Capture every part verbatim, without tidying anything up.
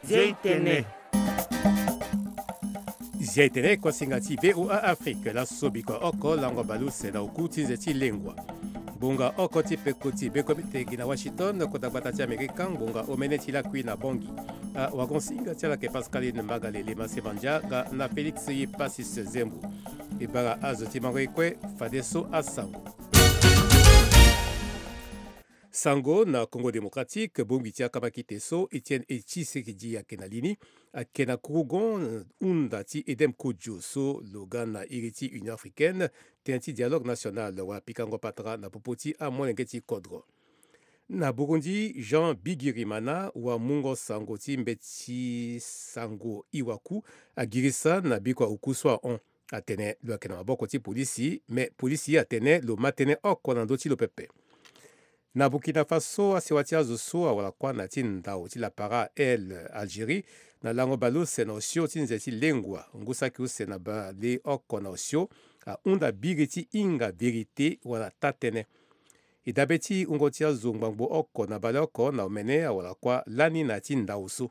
Zia itene. Zia itene, kuasinga ti V O A Afrique, laso bikua oko lango baleuse na oku ti nze ti lengua. Ngbonga oko ti peko ti bekombite gi na Washington, kota gbata ti Amerika, ngbonga omene ti lakui na Bangui. Awagonsinga ti ala ayeke Pascaline Magalele Masemandia nga na Félix Yepasis Zembo. E bara azo ti mango e kue, fadeso asango. Sango na Congo Démocratique, bongbi ti akamakite so Étienne Tshisekedi ayeke na li ni, ayeke na kurugon hunda ti Edem Kojo so lo ga na iri ti Union Africaine, tënë ti dialogue national wala pikango patara na popo ti amolenge ti kodro. Na Burundi, Jean Bigirimana, wamungo sango ti mbeti sango Iwaku, agirisa na bikua oku so ahon. Atene lo yeke na maboko ti polisi, me polisi atene lo ma tënë oko na ndö ti lo pepe. Na Burkina Faso, asewa ti azo so awara kuâ na ya ti ndau ti lapara El Algérie, na lango baleuse na osio ti nze ti lengua, ngu saki use na baleoko na osio, ahunda biri ti hinga vérité wala taa-tënë. E dabe ti wungo ti azo ngbangbo oko na baleoko na omene awara kuâ lani na ya ti ndau so.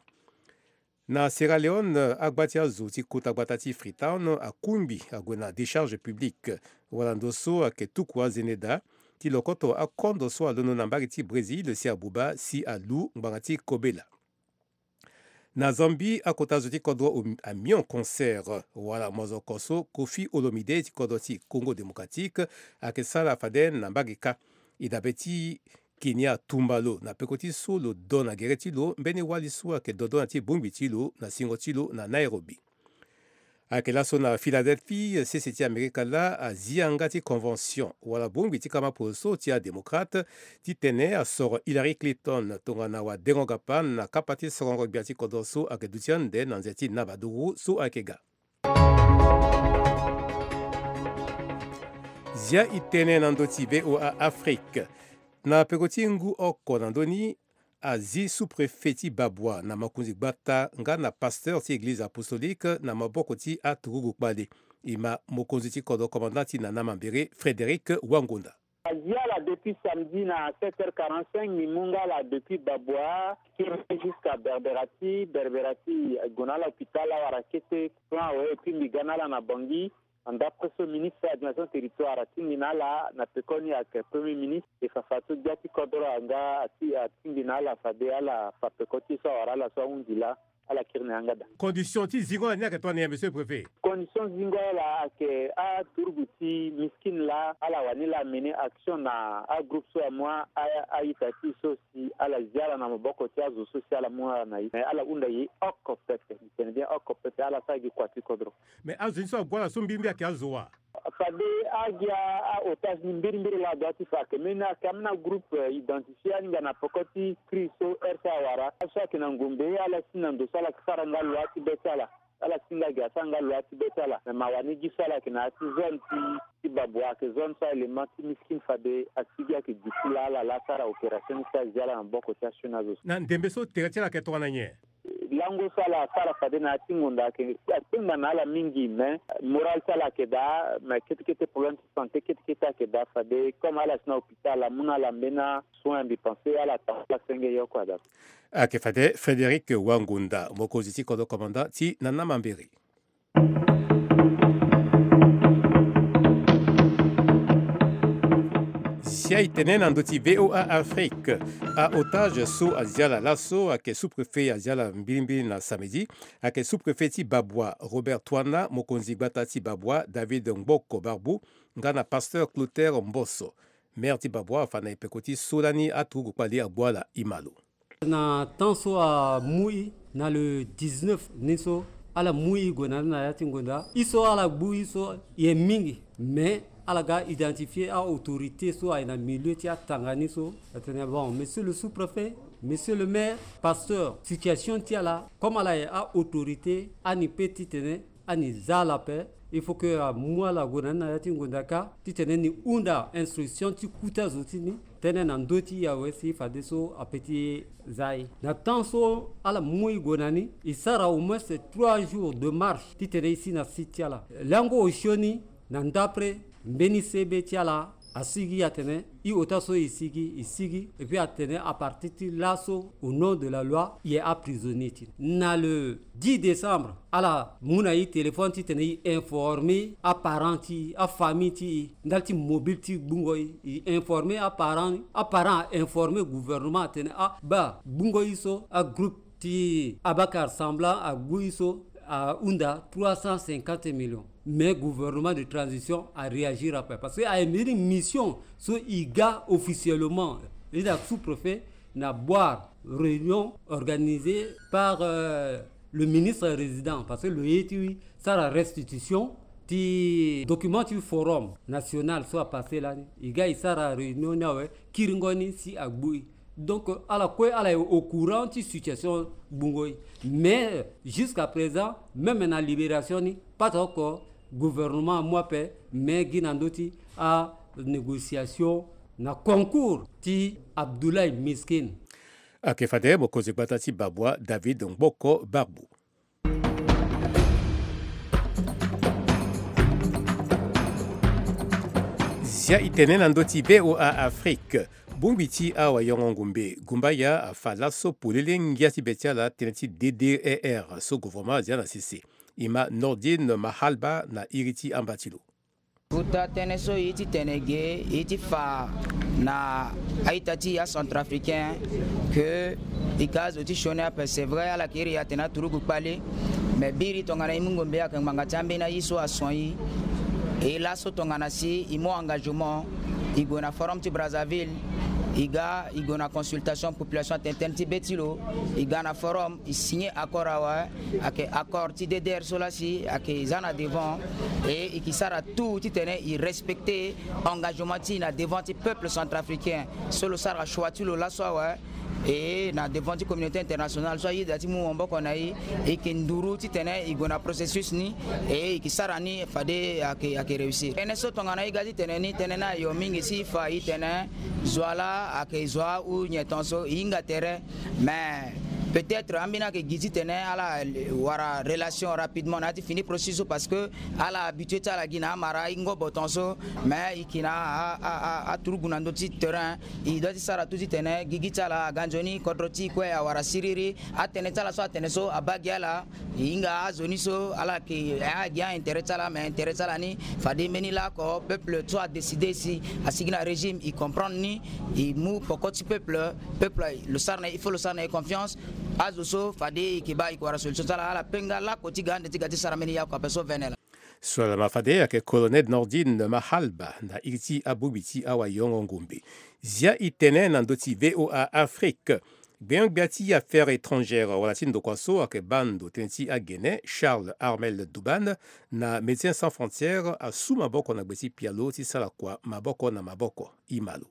Na Sierra Leone, agba ti azo ti kota gbata ti Freetown akungbi ague na décharge publique, wala ndo so ayeke tuku azende daa, ti lokoto akondo so alondo na mbage ti Brésil si abuba si alu ngbanga ti kobela. Na Zambie, akota zo ti kodro Amiens Concert wala mozoko so Koffi Olomide ti kodro ti Congo Démocratique ayeke sara fade na mbage kâ. E dabe ti Kenya tumba lo na peko ti so lo do na gere ti lo mbeni wali so ayeke dodo na ti bongbi ti lo na singo ti lo na Nairobi. Ayeke laso na Philadelphie sese ti Amerika laa azi yanga ti convention wala bongbi ti kama polo so ti adémocrate titene asoro Hillary Clinton tongana wadengo-gapa na kapa ti sorongo-gbia ti kodro so ayeke duti ande na nze ti nabaduru so ayeke ga. Zia itene na ndö ti V O A Afrique. Na peko ti ngu oko na ndö ni, azi sous-préfet ti Babwa na mokonzi gbata nga na pasteur ti église apostolique na maboko ti aturugu kpale. E ma mokonzi ti kodro commandant ti Nana Mambere, Frédéric Wangonda. Azi ala depuis samedi na sept heures quarante-cinq, ni mu nga ala depuis Babwa, kiri jusqu'à Berberati, Berberati, gue na ala hôpital, awara kete plan awe, et puis mbi ga na ala na Bangui. D'après so ministre administration territoire atingbi na ala na pekoni ayeke premier ministre, e fa fa so gbia ti kodro nga ati, atingbi na ala fade ala fa peko ti e so awara ala so ahundi laa, ala kiri na yanga daa. Condition ti zingo ala ni ayeke tongana nyen, monsieur le préfet? Condition zingo ala ayeke aturugu ti miskin laa, ala wani laa amener action na agroupe so amu a, a, a-ita ti e so si ala zi ala na maboko ti azo so si ala mu ala na e. Mais ala hunda e oko pepe, e tene bien oko pepe, ala sara gi kua ti kodro. Mais azo ni so ague ala so mbirimbiri ayeke azo wa? Fade agi a, a-otage ni mbirimbiri laa adua ti fa ayeke mbeni, ayeke ambeni agroupe, eh, identifié, ahinga na peko ti crise so heure so awara. Aso ayeke na ngombe, ala si na ndo so ala yeke sara nga loi ti be ti ala. Ala si nga gi asara nga loi ti be ti ala. Me mawa ni gi so ala yeke na ya ti zone ti, ti Babwa, ayeke zone so a-élément ti miskin fade asigi ayeke gi ti laa ala laa asara opération ni so azi ala na maboko ti asioni azo so. Na ndembe so tere ti ala ayeke tongana nyen? Lango so ala sara fade na ya ti ngonda ayeke, akpengba na ala mingi, mais moral ti ala ayeke daa, mais kete kete problème ti santé kete kete ayeke daa fade, comme ala si na hôpital amu na ala mbeni asoin, mbi pense ala ta ala senge ye oko ada. Ayeke fade Frédéric Wangonda, mokonzi ti kodro commandant ti Nana Mambere. Zia itene na ndö ti V O A Afrique. A-otage so azi ala laso ayeke sous-préfet azi ala mbirimbiri na samedi. Ayeke sous-préfet ti Babwa Robert Twana, mokonzi gbata ti Babwa David Ngboko Barbu, nga na pasteur Clotaire Mboso. Maire ti Babwa afa na e peko ti so lani aturugu kpale agbu ala, e ma lo. Na temps so amu e na le dix-neuf ni so, ala mu e gue na ni na ya ti ngonda. E so ala gbu e so e ye mingi, mais ala ga identifier a-autorité so aye na milieu ti atanga ni so. Atene bon, monsieur le sous-préfet, monsieur le maire, pasteur, situation ti ala, comme ala ye a-autorité, ani pe titene ani za ala ape. Il faut que amu ala gue na ni na ya ti ngonda kâ titene ni hunda instruction ti kota zo ti ni. Tënë na ndö ti e awe si fadeso ape ti za e. Na temps so ala mu e gue na ni, e sara au moins trois jours de marche titene e si na site ti ala. Lango osioni na ndapre mbeni sebe ti ala Asigi atene i ota so i sigi, i sigi. Et puis atene à partir ti laso, au nom de la loi, i est emprisonné ti. Na le dix décembre, ala mu na i téléphone titene i informer aparent ti i, afamille ti i, ndali ti mobile ti gbungo i. I informer aparent, aparent a informer gouvernement atene, ah, ba gbungo i so, agroupe ti Abakar Samblan agbu i so, ahunda trois cent cinquante millions. Mais gouvernement de transition aréagir ape parce que aye mbeni mission so i ga officiellement, i na sous-préfet na Bouar, réunion organisée par, euh, le ministre résident, parce que lo ye ti sara restitution ti document ti forum national so apassé lani. I ga i sara réunion ni awe, kiringo ni si agbu i. Donc ala kue ala est au courant ti situation gbungo i. Mais jusqu'à présent, même na libération ni, pas encore gouvernement amu ape, mais gi na ndö ti anégociation na concours ti Abdoulaye Miskin. Ake fade mokonzi gbata ti Babwa, David Ngboko Barbu. Zia i tene na ndö ti V O A Afrique. Bongbi ti awayongo ngumbe Gumbaya afa laso polele ngia ti be ti ala tënë ti D D R R so gouvernement azia na sese. I ma Nordine Mahalba na iri ti amba ti lo. Kota tënë so i titene ge i ti fa na a-ita ti acentrafricain ke i ka azo ti sioni ape. C'est vrai, ala yeke iri atene aturugu kpale. Me biri tongana i mu ngombe ayeke ngbanga ti ambeni aye so ason i. E laso tongana si i mu engagement, i gue na forum ti Brazzaville, i ga i gue na consultation population atene tënë ti be ti lo, i ga na forum, i signer accord awe. Ayeke accord ti D D R so lasi ayeke za na devant. E i ke sara tout titene i respecter engagement ti i na devant ti peuple centrafricain so lo sara choix ti lo laso awe. E na devant ti communauté internationale so ayeda ti mu maboko na i, i ke nduru titene i gue na processus ni. E i ke sara ni fade ayeke, ayeke réussir. Tënë so tongana i ga titene ni tënë ni ayo mingi si i fa i tene zo ala ayeke zo ahu nyen tongaso i hinga tere. Mais peut-être ambeni ayeke gi titene ala wara relation rapidement na ya ti fini processus so parce que ala habitué ti ala gi na amara i ngobo tongaso. Mais i ke na a, a, a, aturugu na ndö ti terrain. I doit ti sara tout titene gigi ti ala aga nzoni, kodro ti i kue awara siriri. Atënë ti ala so atene so abaa gi ala. I hinga azo ni so ala yeke, a gi a-intérêt ti ala, mais intérêt ti ala ni fade mbeni laoko peuple so adécidé si asigi na régime, i comprendre ni, i mu poko ti peuple. Peuple lo sara na, il faut lo sara na e confiance. Azo so fade i ke baa i ke wara solution ti ala, ala penga laoko ti ga ande ti ga ti sara mbeni yaku ape so vene laa. So ala ma fade ayeke colonel Nordine Mahalba na iri ti abongbi ti awayongo ngombe. Zia i tene na ndö ti V O A Afrique. Gbenyo-gbia ti affaires étrangères wala ti ndokua so ayeke baa ndo tënë ti agene, Charles Armel Douban, na Médecins Sans Frontières asu maboko na gbe ti pialo ti sara kua maboko na maboko. I ma lo.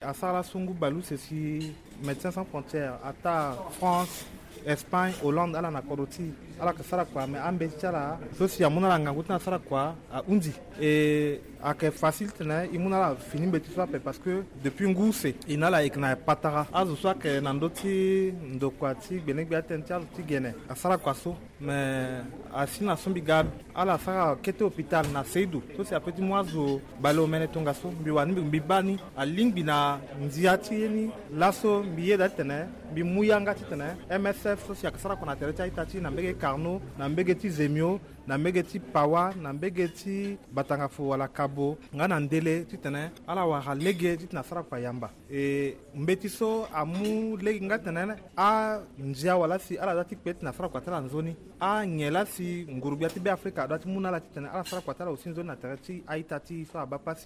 Asara laso ngu baleuse si Médecins Sans Frontières ataa France, Espagne, Hollande, ala na kodro ti ala yeke sara kua, me ambeti ti ala so si amu na ala ngangu ti na sara kua ahunzi. E ayeke facile titene i mu na ala fini mbeti so ape parce que depuis ngu use i na ala yeke na patara. Azo so ayeke na ndö ti ndokua ti gbenegbe atënë ti azo ti gene asara kua so. Me asi na so mbi ga ala sara kete hôpital na Seydou so si ape ti mu azo baleomene tongaso. Mbi wani mbi, mbi baa ni alingbi na ndia ti ye ni. Laso mbi yeda titene mbi mu yanga titene M S F so si ayeke sara kua na tere ti a-ita ti e na mbege Carnot, na mbege ti Zemio, na mbege ti Pawa, na mbege ti Batangafo wala Kabo nga na Ndele titene ala wara lege titene asara kua yamba. E mbeti so amu lege nga titene andia wala si ala za ti kpe titene asara kua ti ala nzoni. Anyen laa si nguru-gbia ti Beafrika adoit ti mu na ala titene ala sara kua ti ala aussi nzoni na tere ti a-ita ti e so abaa pasi.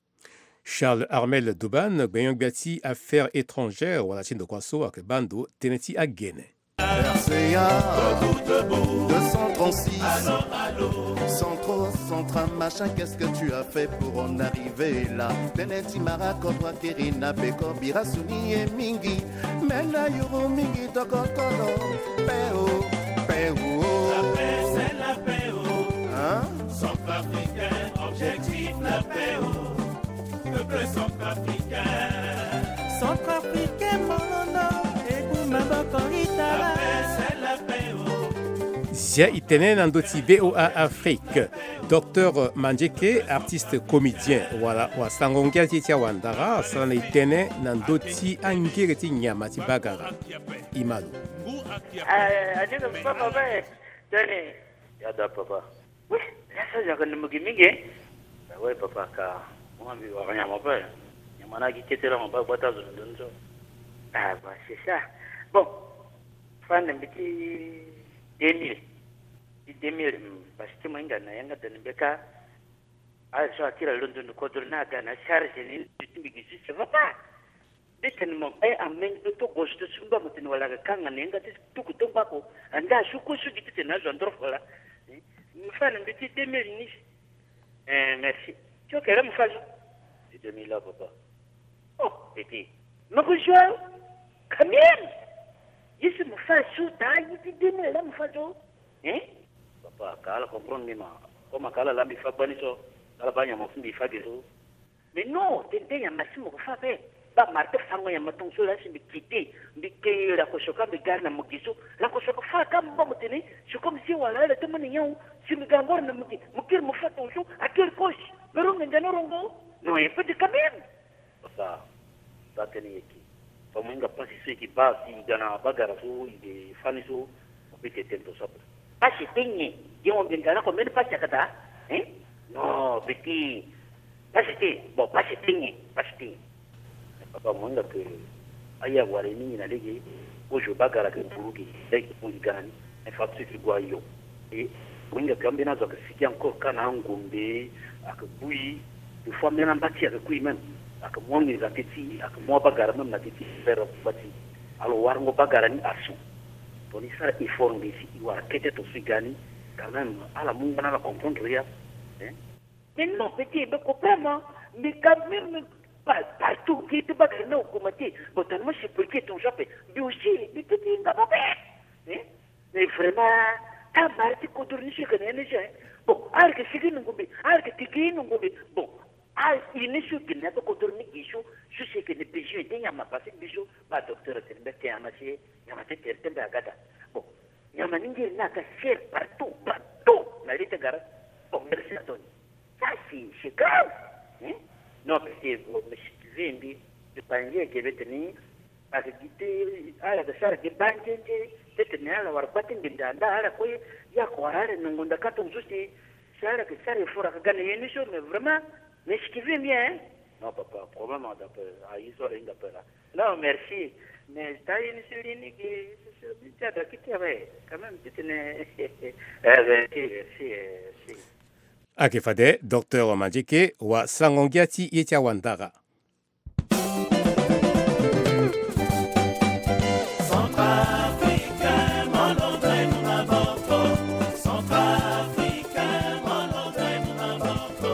Charles Armel Douban, gbenyo-gbia ti affaires étrangères wala ti ndokua so ayeke baa ndo tënë ti agene. R C A deux cent trente-six. Centro, Centra, machin, qu'est-ce que tu as fait pour en arriver là? Tënë ti mara kodro akiri na beko bira suni ye mingi. Me na yuru mingi tokotolo. Pe o, pe o. La paix, c'est la paix, oh. Hein? Centrafricain, objectif la paix, oh. Peuple centrafricain. Centrafricain molondo, ebu maboko itala. La paix, c'est la paix, oh. Dia e tene na ndö ti V O A Afrique. Docteur Mandieke, artiste comédien, wala wasango ngia ti e ti awandara, asara na e tënë na ndö ti angere ti nyama ti bagara. E ma lo. Ah, a ni na papa ba e. Tene. Ya da papa. Oui, ya sa yaka ni mugi mingi. Ah ouais papa, ka mo mbi wara nyama pe. Nyama na gi kete la mo ba gbata zo ndo ndo. Ah bah, c'est ça. Bon. Fa na mbi ti deux mille. Ti deux mille, hmm, parce que mo hinga na yanga da ni mbeka. Ah, so akira londo ni kodro na aga na charge ni, ti mbi gi si, ça va pas. Mbi tene mo kpe amenge ti to gozo ti sumba mo tene wala aga kanga na yanga ti tuku to ngbako. Anda asu kue so gi ti tene azo andoro fola. Eh, mo fa na mbi ti deux mille ni. Eh, merci. Ti okere mo fa zo. Ti deux mille la papa. Oh, petit. Mo ko zo. Quand même. Ye si mo fa zo ta ye ti deux mille la mo fa zo. Hein? Papa, ka ala comprendre ni ma. Comme ka ala la mbi fa gbani so. Ala ba nyama fu mbi fa ge so. Mais non, tene tene nyama si mo ko fa ape. Ba mara ti fango nyama tongaso la si mbi kite, mbi ke lakosoka mbi gari na mo gi so. Lakosoka fa ka mo ba mo tene, c'est comme si wala ala ti mo ni nyawu, si mbi ga ngoro na mo gi, mo kiri mo fa tongaso, akiri kosi. Pero ngenga na rongo. Non, e peut quand même. Sa, sa tene yeke. Fa mo hinga pasi so e ke baa si e ga na bagara so e ke fani so, mo peut tene tongaso ape. Pasi ti nyen? Ye mo mbi nga na ko mbeni pasi ayeke daa? Hein? Non, petit. Pasi ti, bon, pasi ti nyen? Pasi ti nyen? Papa, mo hinga ke aye awara e mingi na lege, kozo bagara ayeke buru ge, lege buru ge ga na ni. Infrastructure ti gue ayo. E mo hinga ke ambeni azo ayeke sigi encore ka na angombe, ayeke bui. Des fois même amba ti ayeke kui même. Ayeke mu anginza te ti, ayeke mu abagara même na te ti, vers amba ti. Alors warango bagara ni asu. Tongana e sara effort ngbisi e wara kete tongaso e ga ni. Quand même ala mu nga na ala comprendre ya. Hein? Mais non, petit, mais comprends moi. Mais quand même, pa- partout, qui te bagara na augmenté. Bon, tellement c'est pour que ton job. Mais aussi, mais petit, il va pas faire. Hein? Mais vraiment, ta mari ti kodro ni si yeke na ye ni si, hein. Bon, ala yeke sigi na ngombe, ala yeke tigi na ngombe. Bon, a, e ni so gi na ya ti kodro ni gi so, so si yeke na besoin ti nyama, parce que mbi so ba docteur atene mbi ake nyama si, nyama ti tere ti mbi aga daa. Bon, nyama ni ngiri ni aga cher partout, partout na li ti gara. Bon, merci na toni. Ça, c'est, c'est grave. Hein? Non, parce que, bon, mais si tu veux, mbi, mbi pangi eke mbi tene, parce que gi ti, ala yeke sara gi banzenze, ti tene ala wara kpa ti ngbenda, nda ala kue, ye ake wara ala na ngonda ka tongaso si, si ala yeke sara effort ake ga na ye ni so, mais vraiment, mais si tu veux bien, hein? Non, papa, problème, on appelle, ah, il sort, il appelle, là. Non, merci. Mais ta ye ni si li ni gi, si, si, si, ti ada kiti awe, quand même, ti tene. Eh, merci, merci, eh, merci. Ayeke fade, docteur Mandieke, wasango ngia ti ye ti awandara. Centrafricain, mon nom de mon avanto. Centrafricain, mon nom de mon avanto.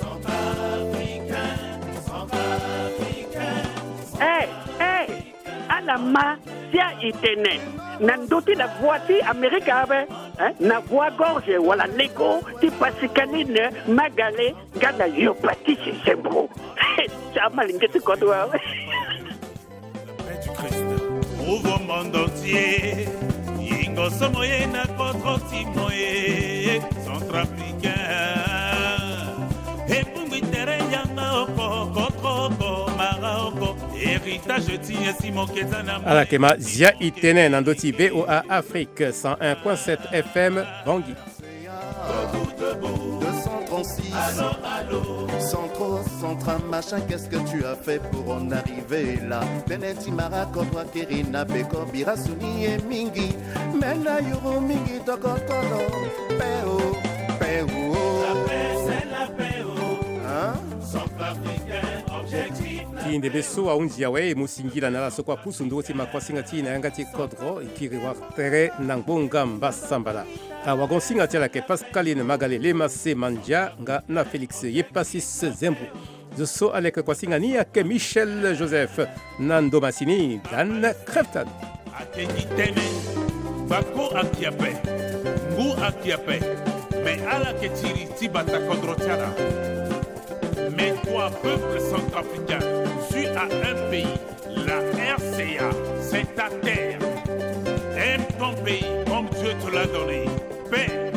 Centrafricain, Centrafricain. Eh, eh, ala ma sia e tene na ndö ti la voix ti Amerika ape, hein? Na voix gorge wala lego ti Pascaline Magale nga na Yo Patrice Zembro. Ti amalenge ti kodro awe. Paix du Christ. Prouve au monde entier. Yingo somo ye na kodro ti mo ye. Centrafricain. Ebungbi tere yanga oko, kodro oko, mara oko. Héritage ti ye si mo keza na mo. Ala yeke ma zia e tene na ndö ti V O A Afrique cent un point sept F M Bangui. Deux cent trente-six. Centro, Centra, machin, qu'est-ce que tu as fait pour en arriver là? Tënë ti mara kodro akiri na beko bira suni ye mingi. Me na yuru mingi tokotolo. Pe o, pe o. Hein? Ti ndembe so ahunzi awe, e mu singila na ala so kue apusu nduru ti makuasinga ti e na yanga ti kodro, e kiri wara tere na ngbonga mbasambala. Awagon-singa ti ala ayeke Pascaline Magalele, Masse Mandia nga na Félix Yepasis Zembro. Zo so aleke kuasinga ni ayeke Michel Joseph. Na ndo masini, Dan Crefton. Ake gi tënë, gbako ake ape, ngu ake ape, me ala yeke tiri ti bata kodro ti ala. Mais toi, peuple centrafricain, tu as un pays, la R C A, c'est ta terre. Un ton pays comme Dieu te l'a donné. Paix,